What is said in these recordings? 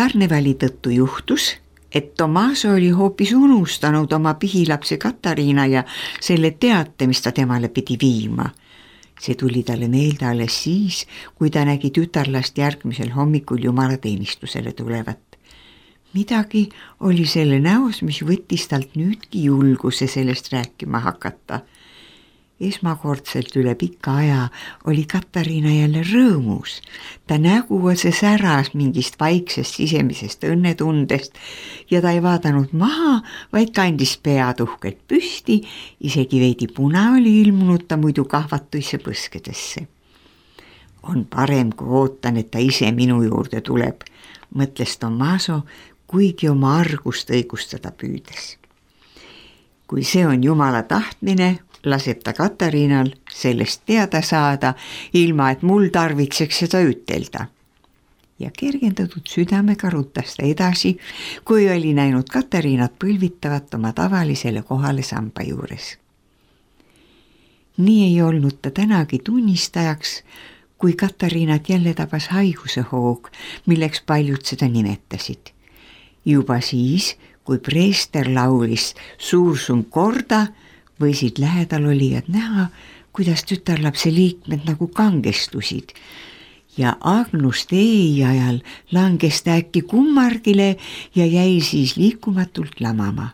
karnevali tõttu juhtus, et Tomaso oli hoopis unustanud oma pihilapse Katariina ja selle teate, mis ta temale pidi viima. See tuli talle meelde alles siis, kui ta nägi tütarlast järgmisel hommikul jumalateenistusele tulevat. Midagi oli selle näos, mis võttis talt nüüdki julguse sellest rääkima hakata. Esmakordselt üle pika aja oli Katariina jälle rõõmus. Ta nägu otse säras mingist vaiksest sisemisest õnnetundest ja ta ei vaadanud maha, vaid kandis pead uhkelt püsti, isegi veidi puna oli ilmunud ta muidu kahvatuisse põskedesse. On parem, kui ootan, et ta ise minu juurde tuleb, mõtles Tomaso, kuigi oma argust õigustada püüdes. Kui see on Jumala tahtmine, laseb ta Katariinal sellest teada saada, ilma et mul tarvitseks seda ütelda. Ja kergendatud südamega rutas ta edasi, kui oli näinud Katariinat põlvitavat oma tavalisele kohale samba juures. Nii ei olnud ta tänagi tunnistajaks, kui Katariinat jälle tabas haiguse hoog, milleks paljud seda nimetasid. Juba siis, kui preester laulis Sursum korda, võisid lähedal olijad näha, kuidas tütarlapse liikmed nagu kangestusid ja Agnus Dei ajal langes ta äkki kummargile ja jäi siis liikumatult lamama.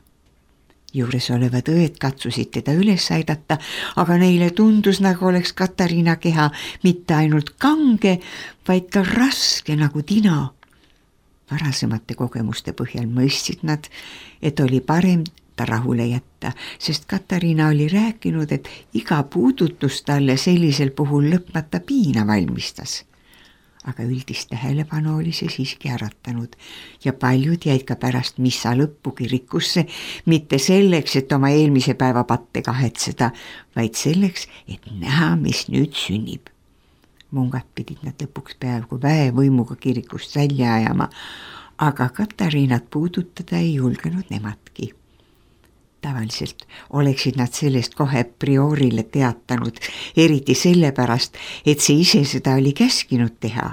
Juures olevad õed katsusid teda üles aidata, aga neile tundus, nagu oleks Katariina keha mitte ainult kange, vaid ka raske nagu tina. Varasemate kogemuste põhjal mõistsid nad, et oli parem ta rahule jätta, sest Katariina oli rääkinud, et iga puudutus talle sellisel puhul lõpmata piina valmistas. Aga üldist tähelepanu oli see siiski äratanud ja paljud jäid ka pärast missa lõppu kirikusse, mitte selleks, et oma eelmise päeva patte kahetseda, vaid selleks, et näha, mis nüüd sünnib. Mungad pidid nad lõpuks peaaegu väevõimuga kirikust välja ajama, aga Katariinat puudutada ei julgenud nemadki. Tavaliselt oleksid nad sellest kohe priorile teatanud, eriti sellepärast, et see ise seda oli käskinud teha.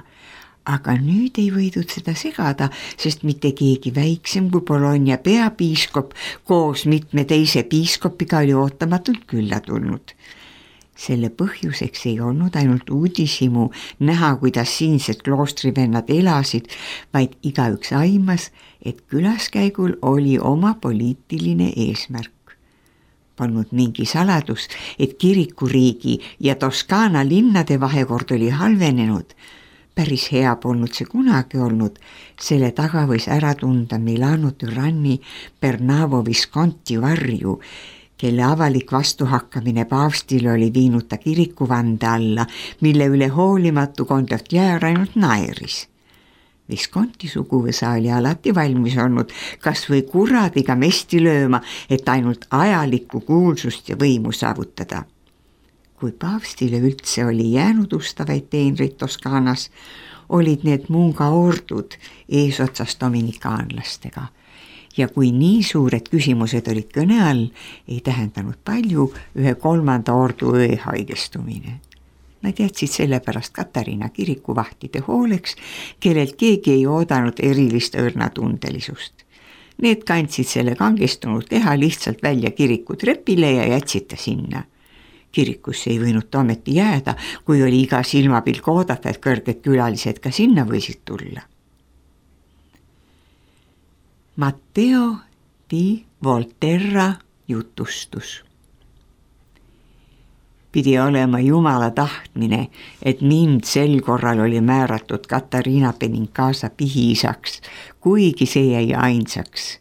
Aga nüüd ei võidud seda segada, sest mitte keegi väiksem kui Bologna peapiiskop koos mitme teise piiskopiga oli ootamatult külla tulnud. Selle põhjuseks ei olnud ainult uudishimu näha, kuidas siinsed kloostrivennad elasid, vaid igaüks aimas, et külaskäigul oli oma poliitiline eesmärk. Polnud mingi saladus, et kirikuriigi ja Toskaana linnade vahekord oli halvenenud. Päris hea polnud see kunagi olnud, selle taga võis ära tunda Milano türanni Bernavo Visconti varju, kelle avalik vastuhakkamine paavstile oli viinud ta kirikuvande alla, mille üle hoolimatu kondotjäär ainult naeris. Visconti suguvõsa oli alati valmis olnud kas või kuradiga mesti lööma, et ainult ajalikku kuulsust ja võimu saavutada. Kui paavstile üldse oli jäänud ustavaid teenreid Toskaanas, olid need Munga ordud eesotsas dominikaanlastega. Ja kui nii suured küsimused olid kõne all, ei tähendanud palju 1/3 ordu õe haigestumine. Nad jätsid sellepärast Katariina kirikuvahtide hooleks, kellelt keegi ei oodanud erilist õrnatundelisust. Need kandsid selle kangestunud keha lihtsalt välja kiriku trepile ja jätsid ta sinna. Kirikusse ei võinud ta ometi jääda, kui oli iga silmapilk oodata, et kõrged külalised ka sinna võisid tulla. Matteo di Volterra jutustus. Pidi olema Jumala tahtmine, et mind sel korral oli määratud Katariina Benincasa pihiisaks, kuigi see jäi ainsaks.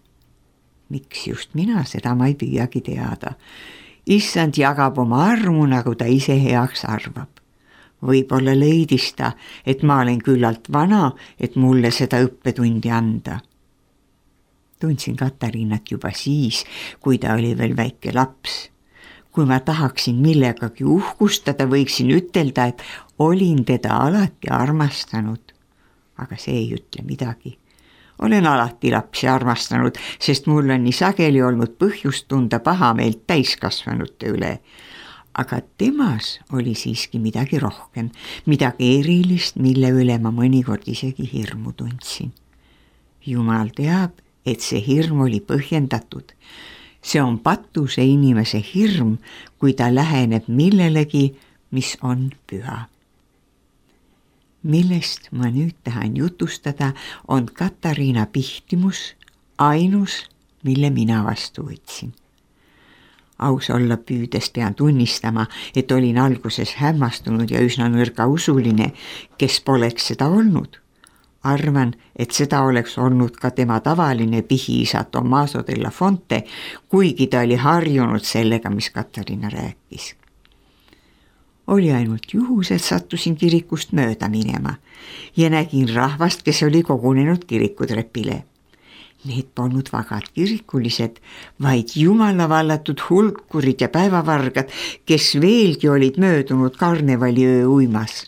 Miks just mina, seda ma ei püüagi teada. Issand jagab oma armu, nagu ta ise heaks arvab. Võib-olla leidis ta, et ma olen küllalt vana, et mulle seda õppetundi anda. Tundsin Katariinat juba siis, kui ta oli veel väike laps. Kui ma tahaksin millegagi uhkustada, võiksin ütelda, et olin teda alati armastanud. Aga see ei ütle midagi. Olen alati lapsi armastanud, sest mul on nii sageli olnud põhjust tunda pahameelt täiskasvanute üle. Aga temas oli siiski midagi rohkem, midagi erilist, mille üle ma mõnikord isegi hirmu tundsin. Jumal teab, et see hirm oli põhjendatud. See on patuse inimese hirm, kui ta läheneb millelegi, mis on püha. Millest ma nüüd tahan jutustada, on Katariina pihtimus ainus, mille mina vastu võtsin. Aus olla püüdes pean tunnistama, et olin alguses hämmastunud ja üsna nõrga usuline, kes poleks seda olnud. Arvan, et seda oleks olnud ka tema tavaline pihiisa Tommaso della Fonte, kuigi ta oli harjunud sellega, mis Katariina rääkis. Oli ainult juhus, et sattusin kirikust mööda minema ja nägin rahvast, kes oli kogunenud kirikutrepile. Need polnud vagad kirikulised, vaid jumala vallatud hulkurid ja päevavargad, kes veelgi olid möödunud karnevaliöö uimas.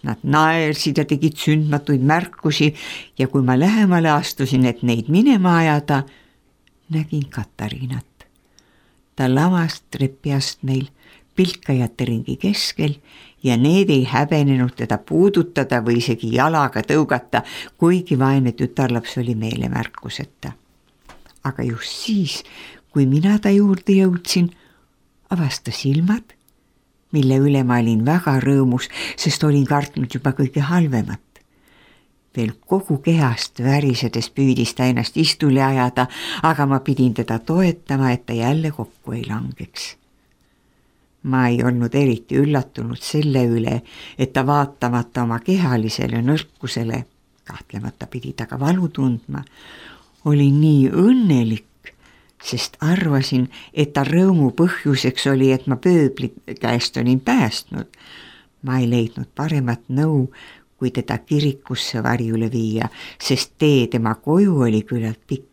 Nad naersid ja tegid sündmatuid märkusi ja kui ma lähemale astusin, et neid minema ajada, nägin Katariinat. Ta lamas trepiastmeil pilkajate ringi keskel ja need ei häbenenud teda puudutada või isegi jalaga tõugata, kuigi vaene tütarlaps oli meelemärkuseta. Aga just siis, kui mina ta juurde jõudsin, avas ta silmad, mille üle ma olin väga rõõmus, sest olin kartnud juba kõige halvemat. Veel kogu kehast värisedes püüdis ta ennast istule ajada, aga ma pidin teda toetama, et ta jälle kokku ei langeks. Ma ei olnud eriti üllatunud selle üle, et ta vaatamata oma kehalisele nõrkusele, kahtlemata pidi ta ka valu tundma, oli nii õnnelik, sest arvasin, et ta rõõmu põhjuseks oli, et ma pööbli käest olin päästnud. Ma ei leidnud paremat nõu, kui teda kirikusse varjule viia, sest tee tema koju oli küllalt pikk.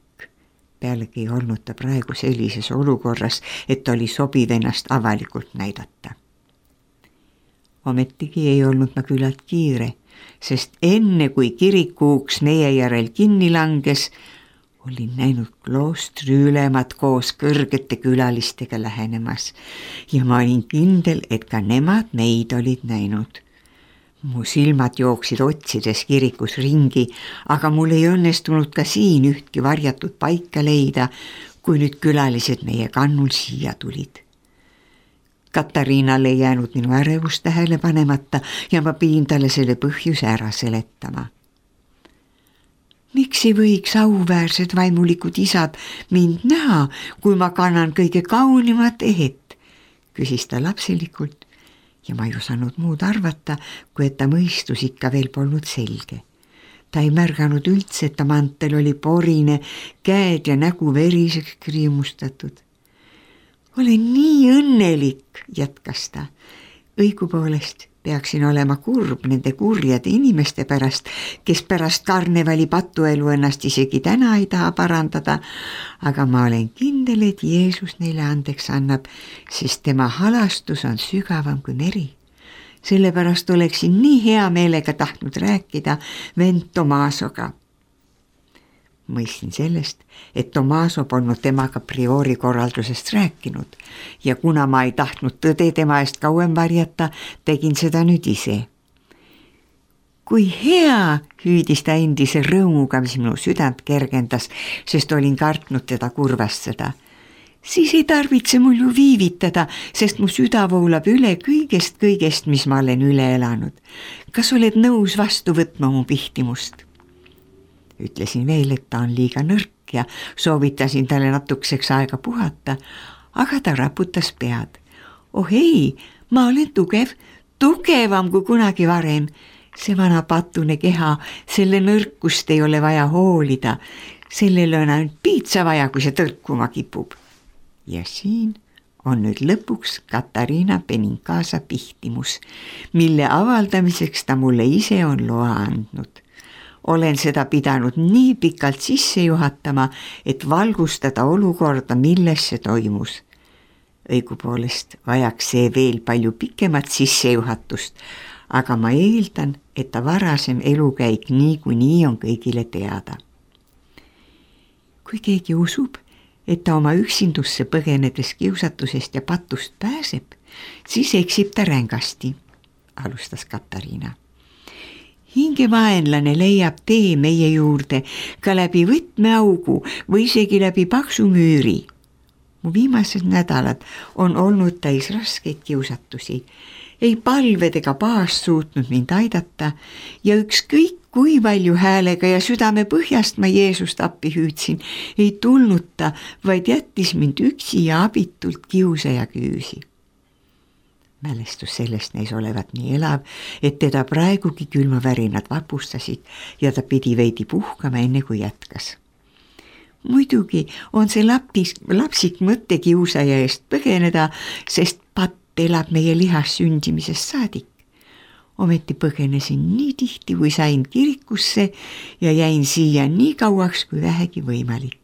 Pealegi ei olnud ta praegu sellises olukorras, et oli sobiv ennast avalikult näidata. Ometigi ei olnud ma küllalt kiire, sest enne kui kirikuuks meie järel kinni langes, olin näinud kloostri ülemad koos kõrgete külalistega lähenemas ja ma olin kindel, et ka nemad meid olid näinud. Mu silmad jooksid otsides kirikus ringi, aga mul ei õnnestunud ka siin ühtki varjatud paika leida, kui nüüd külalised meie kannul siia tulid. Katariinale ei jäänud minu ärevust tähele panemata ja ma pidin talle selle põhjuse ära seletama. Miks ei võiks auväärsed vaimulikud isad mind näha, kui ma kannan kõige kaunimat ehet, küsis ta lapselikult. Ja ma ei osanud muud arvata, kui et ta mõistus ikka veel polnud selge. Ta ei märganud üldse, et ta mantel oli porine, käed ja nägu veriseks kriimustatud. Olen nii õnnelik, jätkas ta. Õigupoolest peaksin olema kurb nende kurjade inimeste pärast, kes pärast karnevali patuelu ennast isegi täna ei taha parandada, aga ma olen kindel, et Jeesus neile andeks annab, sest tema halastus on sügavam kui meri. Sellepärast oleksin nii hea meelega tahtnud rääkida vend Tommasoga. Mõistsin sellest, et Tommaso polnud temaga priori korraldusest rääkinud ja kuna ma ei tahtnud tõde tema eest kauem varjata, tegin seda nüüd ise. Kui hea, hüüdis ta endise rõõmuga, mis minu südant kergendas, sest olin kartnud teda kurvastada. Siis ei tarvitse mul ju viivitada, sest mu süda voolab üle kõigest, mis ma olen üle elanud. Kas oled nõus vastu võtma mu pihtimust? Ütlesin veel, et ta on liiga nõrk ja soovitasin talle natukeseks aega puhata, aga ta raputas pead. Oh ei, ma olen tugevam kui kunagi varem. See vana patune keha, selle nõrkust ei ole vaja hoolida. Sellel on ainult piitsa vaja, kui see tõrkuma kipub. Ja siin on nüüd lõpuks Katariina Benincasa pihtimus, mille avaldamiseks ta mulle ise on loa andnud. Olen seda pidanud nii pikalt sisse juhatama, et valgustada olukorda, milles see toimus. Õigupoolest vajaks see veel palju pikemat sissejuhatust, aga ma eeldan, et ta varasem elukäik niikuinii on kõigile teada. Kui keegi usub, et ta oma üksindusse põgenedes kiusatusest ja patust pääseb, siis eksib ta rängasti, alustas Katariina. hingevaenlane leiab tee meie juurde ka läbi võtmeaugu või isegi läbi paksu müüri. Mu viimased nädalad on olnud täis raskeid kiusatusi. Ei palved ega paast suutnud mind aidata ja ükskõik kui palju häälega ja südame põhjast ma Jeesust appi hüüdsin, ei tulnud ta, vaid jättis mind üksi ja abitult kiusaja küüsi. Mälestus sellest näis olevat nii elav, et teda praegugi külmavärinad vapustasid ja ta pidi veidi puhkama enne kui jätkas. Muidugi on see lapsik mõtte kiusaja eest põgeneda, sest patt elab meie lihas sündimisest saadik. Ometi põgenesin nii tihti, kui sain kirikusse ja jäin siia nii kauaks, kui vähegi võimalik.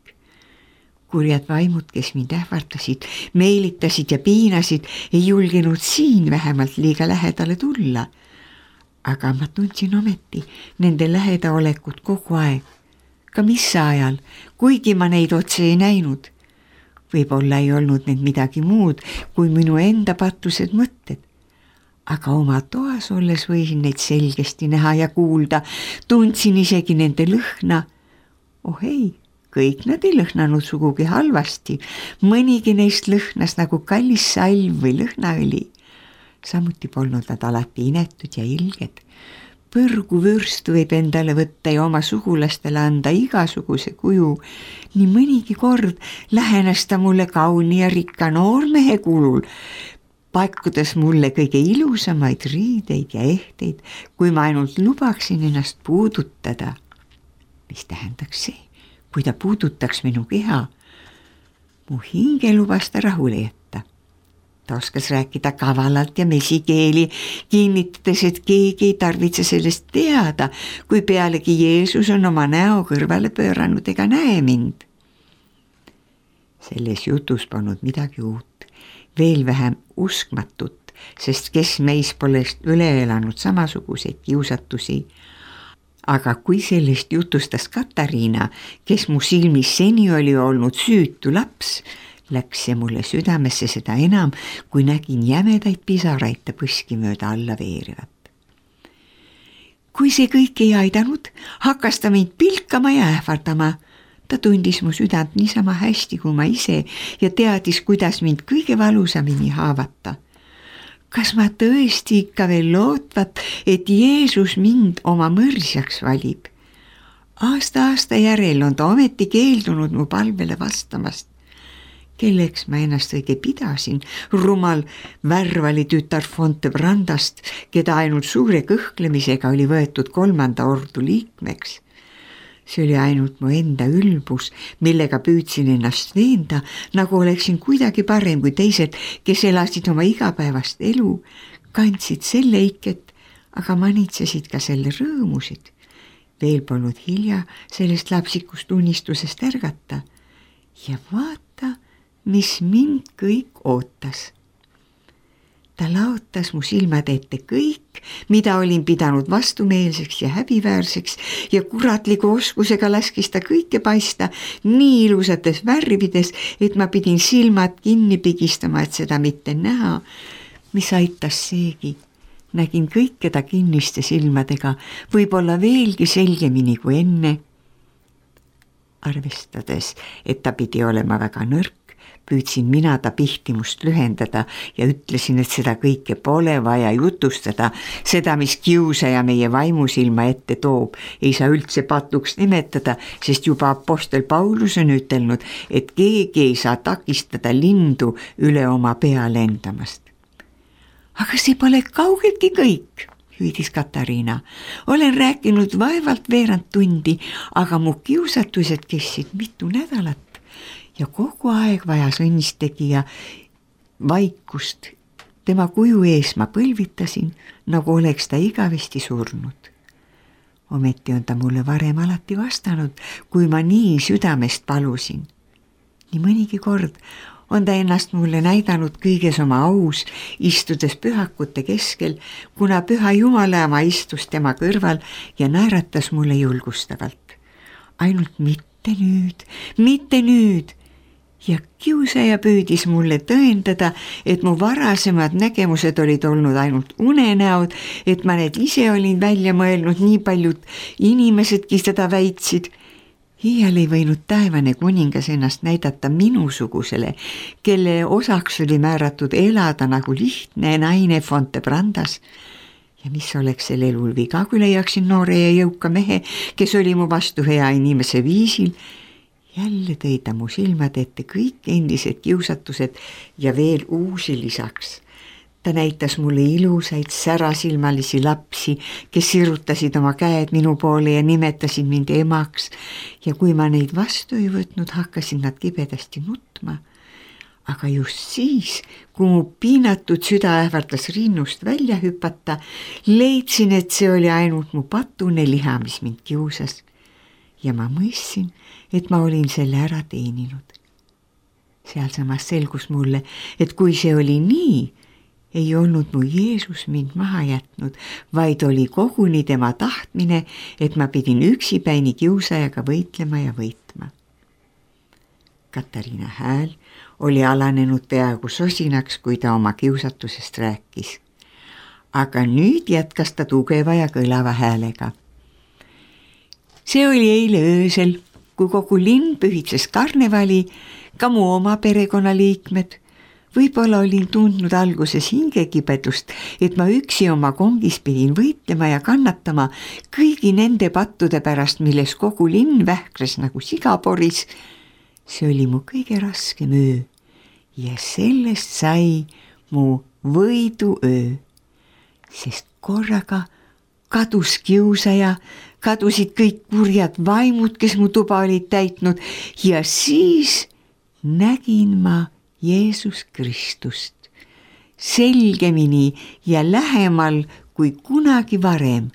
Kurjad vaimud, kes mind ähvartasid, meelitasid ja piinasid, ei julgenud siin vähemalt liiga lähedale tulla. Aga ma tundsin ometi nende lähedaolekut kogu aeg. Ka mis ajal, kuigi ma neid otse ei näinud. Võib-olla ei olnud need midagi muud kui minu enda patused mõtted. Aga oma toas olles võisin neid selgesti näha ja kuulda, tundsin isegi nende lõhna. Oh ei, kõik nad ei lõhnanud sugugi halvasti, mõnigi neist lõhnas nagu kallis salv või lõhnaõli. Samuti polnud nad alati inetud ja ilged. Põrgu vürstu võib endale võtta ja oma sugulastele anda igasuguse kuju. Nii mõnigi kord lähenes ta mulle kauni ja rikka noormehe kulul, pakkudes mulle kõige ilusamaid riideid ja ehteid, kui ma ainult lubaksin ennast puudutada. Mis tähendaks see, kui ta puudutaks minu keha? Mu hinge lubas ta rahule jätta. Ta oskas rääkida kavalalt ja mesikeeli, kinnitades, et keegi ei tarvitse sellest teada, kui pealegi Jeesus on oma näo kõrvale pööranud ega näe mind. Selles jutus polnud midagi uut, veel vähem uskmatut, sest kes meis pole üle elanud samasuguseid kiusatusi. Aga kui sellest jutustas Katariina, kes mu silmis seni oli olnud süütu laps, läks see mulle südamesse seda enam, kui nägin jämedaid pisaraid ta põski mööda alla veerivat. Kui see kõik ei aidanud, hakkas ta mind pilkama ja ähvardama. Ta tundis mu südant niisama hästi kui ma ise ja teadis, kuidas mind kõige valusamini haavata. Kas ma tõesti ikka veel lootvat, et Jeesus mind oma mõrsjaks valib? Aasta järel on ta ometi keeldunud mu palvele vastamast. Kelleks ma ennast õige pidasin, rumal värvali tütar Fontebrandast, keda ainult suure kõhklemisega oli võetud 3. ordu liikmeks. See oli ainult mu enda ülbus, millega püüdsin ennast veenda, nagu oleksin kuidagi parem kui teised, kes elasid oma igapäevast elu, kandsid selle iket, aga manitsesid ka selle rõõmusid. Veel polnud hilja sellest lapsikust unistusest ärgata. Ja vaata, mis mind kõik ootas. Ta laotas mu silmad ette kõik, mida olin pidanud vastumeelseks ja häbiväärseks ja kuratliku oskusega laskis ta kõike paista nii ilusates värvides, et ma pidin silmad kinni pigistama, et seda mitte näha. Mis aitas seegi. Nägin kõike ta kinniste silmadega, võib-olla veelgi selgemini kui enne. Arvestades, et ta pidi olema väga nõrk, püüdsin mina ta pihtimust lühendada ja ütlesin, et seda kõike pole vaja jutustada. Seda, mis kiusaja meie vaimusilma ette toob, ei saa üldse patuks nimetada, sest juba apostel Paulus on ütelnud, et keegi ei saa takistada lindu üle oma pea lendamast. Aga see pole kaugeltki kõik, hüüdis Katariina. Olen rääkinud vaevalt veerand tundi, aga mu kiusatused kestsid mitu nädalat. Ja kogu aeg vajas õnnistegija vaikust. Tema kuju ees ma põlvitasin, nagu oleks ta igavesti surnud. Ometi on ta mulle varem alati vastanud, kui ma nii südamest palusin. Nii mõnigi kord on ta ennast mulle näidanud kõiges oma aus, istudes pühakute keskel, kuna püha Jumalaema istus tema kõrval ja naeratas mulle julgustavalt. Ainult mitte nüüd. ja kiusaja püüdis mulle tõendada, et mu varasemad nägemused olid olnud ainult unenäod, et ma need ise olin välja mõelnud, nii paljud inimesedki seda väitsid. Iial ei võinud taevane kuningas ennast näidata minusugusele, kelle osaks oli määratud elada nagu lihtne naine Fontebrandas. Ja mis oleks sel elul viga, kui leiaksin noore ja jõuka mehe, kes oli mu vastu hea inimese viisil. Jälle tõi ta mu silmad ette kõik endised kiusatused ja veel uusi lisaks. Ta näitas mulle ilusaid särasilmalisi lapsi, kes sirutasid oma käed minu poole ja nimetasid mind emaks. Ja kui ma neid vastu ei võtnud, hakkasid nad kibedasti nutma. Aga just siis, kui mu piinatud süda ähvardas rinnust välja hüpata, leidsin, et see oli ainult mu patune liha, mis mind kiusas. Ja ma mõistsin, et ma olin selle ära teeninud. Sealsamas selgus mulle, et kui see oli nii, ei olnud mu Jeesus mind maha jätnud, vaid oli koguni tema tahtmine, et ma pidin üksipäini kiusajaga võitlema ja võitma. Katariina hääl oli alanenud peaaegu sosinaks, kui ta oma kiusatusest rääkis. Aga nüüd jätkas ta tugeva ja kõlava häälega. See oli eile öösel, kui kogu linn pühitses karnevali, ka mu oma perekonnaliikmed. Võib-olla olin tundnud alguses hingekibedust, et ma üksi oma kongis pidin võitlema ja kannatama kõigi nende pattude pärast, milles kogu linn vähkres nagu sigaporis. See oli mu kõige raskem öö ja sellest sai mu võiduöö, sest korraga kadus kiusaja, kadusid kõik kurjad vaimud, kes mu tuba olid täitnud ja siis nägin ma Jeesus Kristust selgemini ja lähemal kui kunagi varem.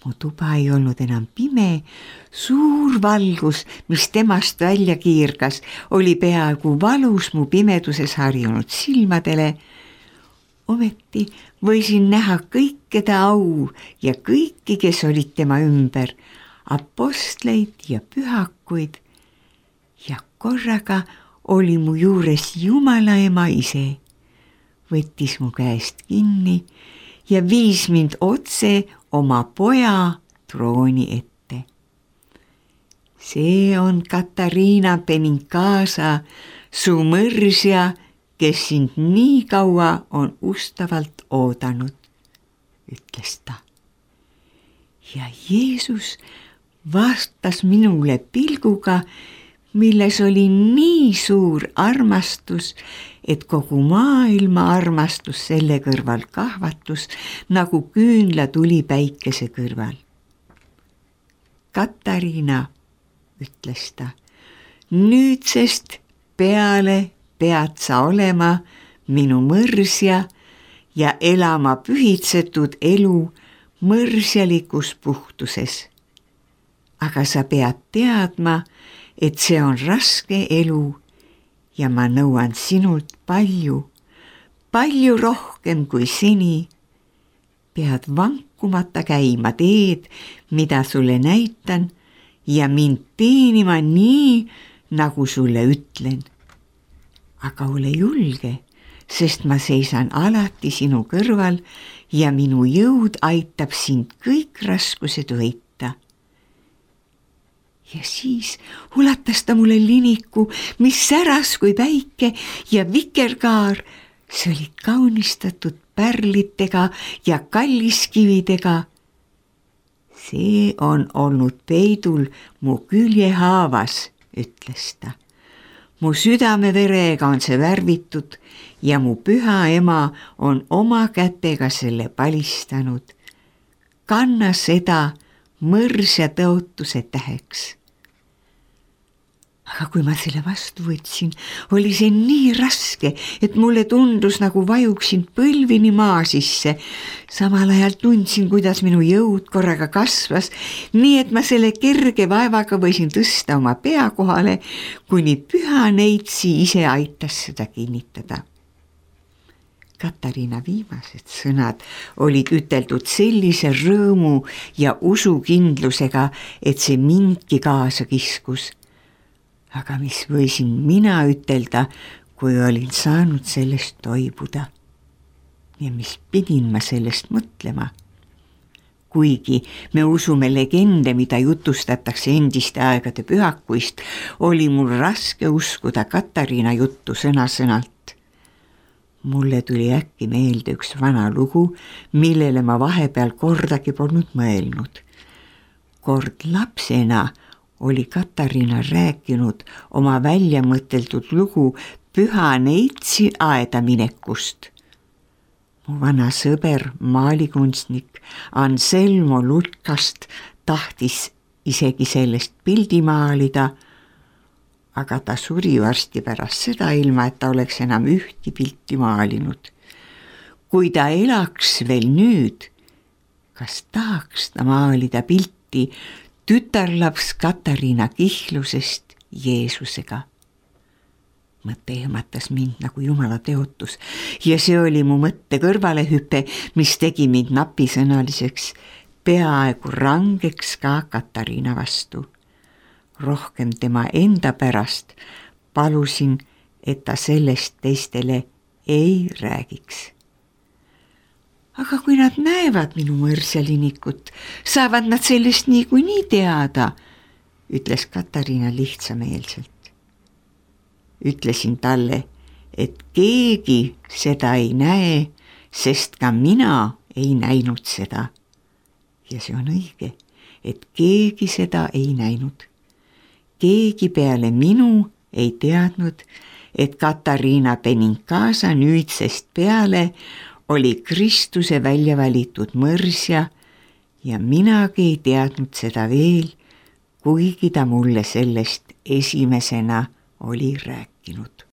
Mu tuba ei olnud enam pime, suur valgus, mis temast välja kiirgas, oli peaaegu valus mu pimeduses harjunud silmadele. Ometi võisin näha kõike ta au ja kõiki, kes olid tema ümber, apostleid ja pühakuid. Ja korraga oli mu juures Jumala ema ise, võttis mu käest kinni ja viis mind otse oma poja trooni ette. See on Katariina Benincasa, su mõrsja, kes sind nii kaua on ustavalt oodanud, ütles ta. Ja Jeesus vastas minule pilguga, milles oli nii suur armastus, et kogu maailma armastus selle kõrval kahvatus, nagu küünla tuli päikese kõrval. Katariina, ütles ta, nüüdsest peale pead sa olema minu mõrsja ja elama pühitsetud elu mõrsjalikus puhtuses. Aga sa pead teadma, et see on raske elu ja ma nõuan sinult palju, palju rohkem kui seni. Pead vankumata käima teed, mida sulle näitan ja mind teenima nii, nagu sulle ütlen. Aga ole julge, sest ma seisan alati sinu kõrval ja minu jõud aitab sind kõik raskused võita. Ja siis ulatas ta mulle liniku, mis säras kui päike ja vikerkaar. See oli kaunistatud pärlitega ja kalliskividega. See on olnud peidul mu küljehaavas, ütles ta. Mu südameverega on see värvitud ja mu püha ema on oma kätega selle palistanud. Kanna seda mõrsja tõotuse täheks. Aga kui ma selle vastu võtsin, oli see nii raske, et mulle tundus, nagu vajuksin põlvini maa sisse. Samal ajal tundsin, kuidas minu jõud korraga kasvas, nii et ma selle kerge vaevaga võisin tõsta oma pea kohale, kuni püha neitsi ise aitas seda kinnitada. Katariina viimased sõnad olid üteldud sellise rõõmu ja usukindlusega, et see mindki kaasa kiskus. Aga mis võisin mina ütelda, kui olin saanud sellest toibuda? Ja mis pidin ma sellest mõtlema? Kuigi me usume legende, mida jutustatakse endiste aegade pühakuist, oli mul raske uskuda Katariina juttu sõna-sõnalt. Mulle tuli äkki meelde üks vana lugu, millele ma vahepeal kordagi polnud mõelnud. Kord lapsena oli Katariina rääkinud oma väljamõteldud lugu Püha Neitsi aeda minekust. Mu vana sõber, maalikunstnik Anselmo Lutkast tahtis isegi sellest pildi maalida, aga ta suri varsti pärast seda, ilma et ta oleks enam ühti pilti maalinud. Kui ta elaks veel nüüd, kas tahaks ta maalida pilti tütarlaps Katariina kihlusest Jeesusega? Mõte ehmatas mind nagu Jumala teotus ja see oli mu mõtte kõrvalehüpe, mis tegi mind napisõnaliseks, peaaegu rangeks ka Katariina vastu. Rohkem tema enda pärast palusin, et ta sellest teistele ei räägiks. Aga kui nad näevad minu mõrsjalinikut, saavad nad sellest niikuinii teada, ütles Katariina lihtsameelselt. Ütlesin talle, et keegi seda ei näe, sest ka mina ei näinud seda. Ja see on õige, et keegi seda ei näinud. Keegi peale minu ei teadnud, et Katariina Benincasa nüüdsest peale oli Kristuse välja valitud mõrsja ja minagi ei teadnud seda veel, kuigi ta mulle sellest esimesena oli rääkinud.